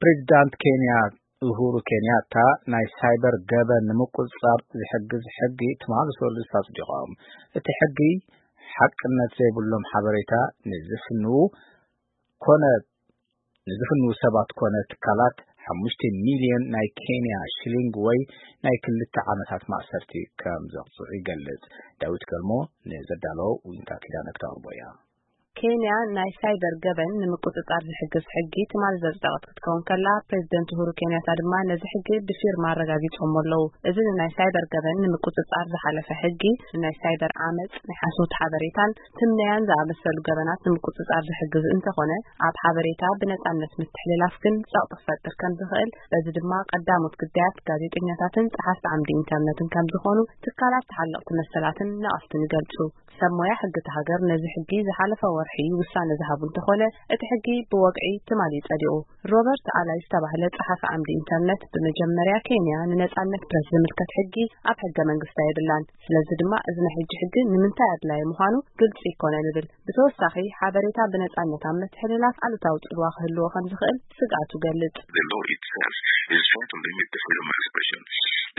ፕሬዚዳንት ኬንያ ኡሁሩ ኬንያታ ናይ ሳይበር ገበን ንምቁፅፃር ዝሕግዝ ሕጊ ትማሊ ሰሉስ ኣፅዲቖም። እቲ ሕጊ ሓቅነት ዘይብሎም ሓበሬታ ንዝፍንዉ ኮነ ንዝፍንዉ ሰባት ኮነ ትካላት ሓሙሽተ ሚልዮን ናይ ኬንያ ሽሊንግ ወይ ናይ ክልተ ዓመታት ማእሰርቲ ከም ዘቕፅዑ ይገልጽ። ዳዊት ገልሞ ንዘዳለዎ ዊንታ ኪዳነ ክተቕርቦ እያ። ኬንያ ናይ ሳይበር ገበን ንምቁጽጻር ዝሕግዝ ሕጊ ትማሊ ዘጽደቐት ክትከውን ከላ፣ ፕሬዚደንት ኡሁሩ ኬንያታ ድማ ነዚ ሕጊ ብፊርማ ኣረጋጊጾሞ ኣለዉ። እዚ ንናይ ሳይበር ገበን ንምቁጽጻር ዝሓለፈ ሕጊ፣ ንናይ ሳይበር ዓመጽ፣ ናይ ሓሶት ሓበሬታን ትምነያን ዝኣመሰሉ ገበናት ንምቁጽጻር ዝሕግዝ እንተኾነ፣ ኣብ ሓበሬታ ብነጻነት ምትሕልላፍ ግን ጸቕጢ ክፈጥር ከም ዝኽእል፣ በዚ ድማ ቀዳሞት ግዳያት ጋዜጠኛታትን ጸሓፍቲ ዓምዲ ኢንተርነትን ከም ዝኾኑ ትካላት ተሓለቕቲ መሰላትን ነቐፍትን ይገልጹ። ሰብ ሞያ ሕጊ እታ ሃገር ነዚ ሕጊ ዝሓለፈ ወርሒ ውሳነ ዝሃቡ እንተኾነ፣ እቲ ሕጊ ብወግዒ ትማሊ ጸዲቑ። ሮበርት ኣላይ ዝተባህለ ጸሓፊ ዓምዲ ኢንተርነት፣ ብመጀመርያ ኬንያ ንነጻነት ፕረስ ዝምልከት ሕጊ ኣብ ሕገ መንግስታ የብላን። ስለዚ ድማ እዚ ናይ ሕጂ ሕጊ ንምንታይ ኣድላዪ ምዃኑ ግልጺ ኣይኮነን ይብል። ብተወሳኺ፣ ሓበሬታ ብነጻነት ኣብ ምትሕልላፍ ኣሉታዊ ጽልዋ ክህልዎ ከም ዝኽእል ስግኣቱ ይገልጽ። The law itself is trying to limit the freedom of expression.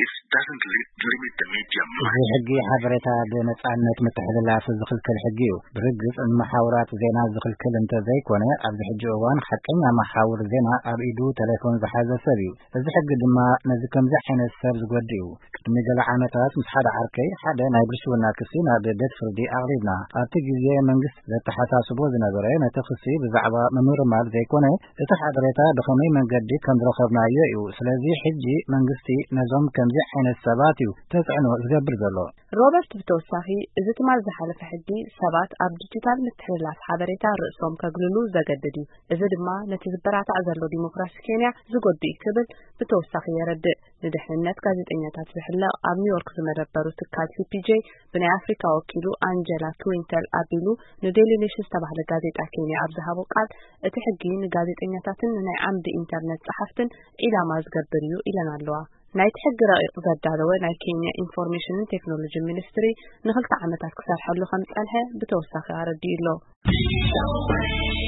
It doesn't li- limit the media. እዚ ሕጊ ሓበሬታ ብነጻነት ምትሕልላፍ ዝኽልክል ሕጊ እዩ። ብርግጽ፣ መሓውራት ዜና ዝኽልክል እንተ ዘይኮነ፣ ኣብዚ ሕጂ እዋን ሓቀኛ መሓውር ዜና ኣብ ኢዱ ቴሌፎን ዝሓዘ ሰብ እዩ። እዚ ሕጊ ድማ ነዚ ከምዚ ዓይነት ሰብ ዝጎድእ እዩ። ቅድሚ ገለ ዓመታት ምስ ሓደ ዓርከይ ሓደ ናይ ብልሽውና ክሲ ናብ ቤት ፍርዲ ኣቕሪብና። ኣብቲ ግዜ መንግስቲ ዘተሓሳስቦ ዝነበረ ነቲ ክሲ ብዛዕባ ምምርማር ዘይኮነ፣ እቲ ሓበሬታ ብኸመይ መንገዲ ከም ዝረኸብናዮ እዩ። ስለዚ ሕጂ መንግስቲ ነዞም ከምዚ ዓይነት ሰባት እዩ ተጽዕኖ ዝገብር ዘሎ። ሮበርት ብተወሳኺ፣ እዚ ትማል ዝሓለፈ ሕጊ ሰባት ኣብ ዲጂታል ምትሕልላፍ ሓበሬታ ርእሶም ከግልሉ ዘገድድ እዩ። እዚ ድማ ነቲ ዝበራታዕ ዘሎ ዲሞክራሲ ኬንያ ዝጎድእ እዩ ክብል ብተወሳኺ የረድእ። ንድሕንነት ጋዜጠኛታት ዝሕለቕ ኣብ ኒውዮርክ ዝመደበሩ ትካል ሲ ፒ ጄ ብናይ ኣፍሪካ ወኪሉ ኣንጀላ ክዊንተል ኣቢሉ ንዴሊ ኔሽን ዝተባህለ ጋዜጣ ኬንያ ኣብ ዝሃቦ ቃል፣ እቲ ሕጊ ንጋዜጠኛታትን ንናይ ዓምዲ ኢንተርነት ጸሓፍትን ኢላማ ዝገብር እዩ ኢለን ኣለዋ። ናይቲ ሕጊ ረቂቕ ዘዳለወ ናይ ኬንያ ኢንፎርሜሽንን ቴክኖሎጂ ሚኒስትሪ ንኽልተ ዓመታት ክሰርሐሉ ከም ዝጸንሐ ብተወሳኺ ኣረዲኡ ኣሎ።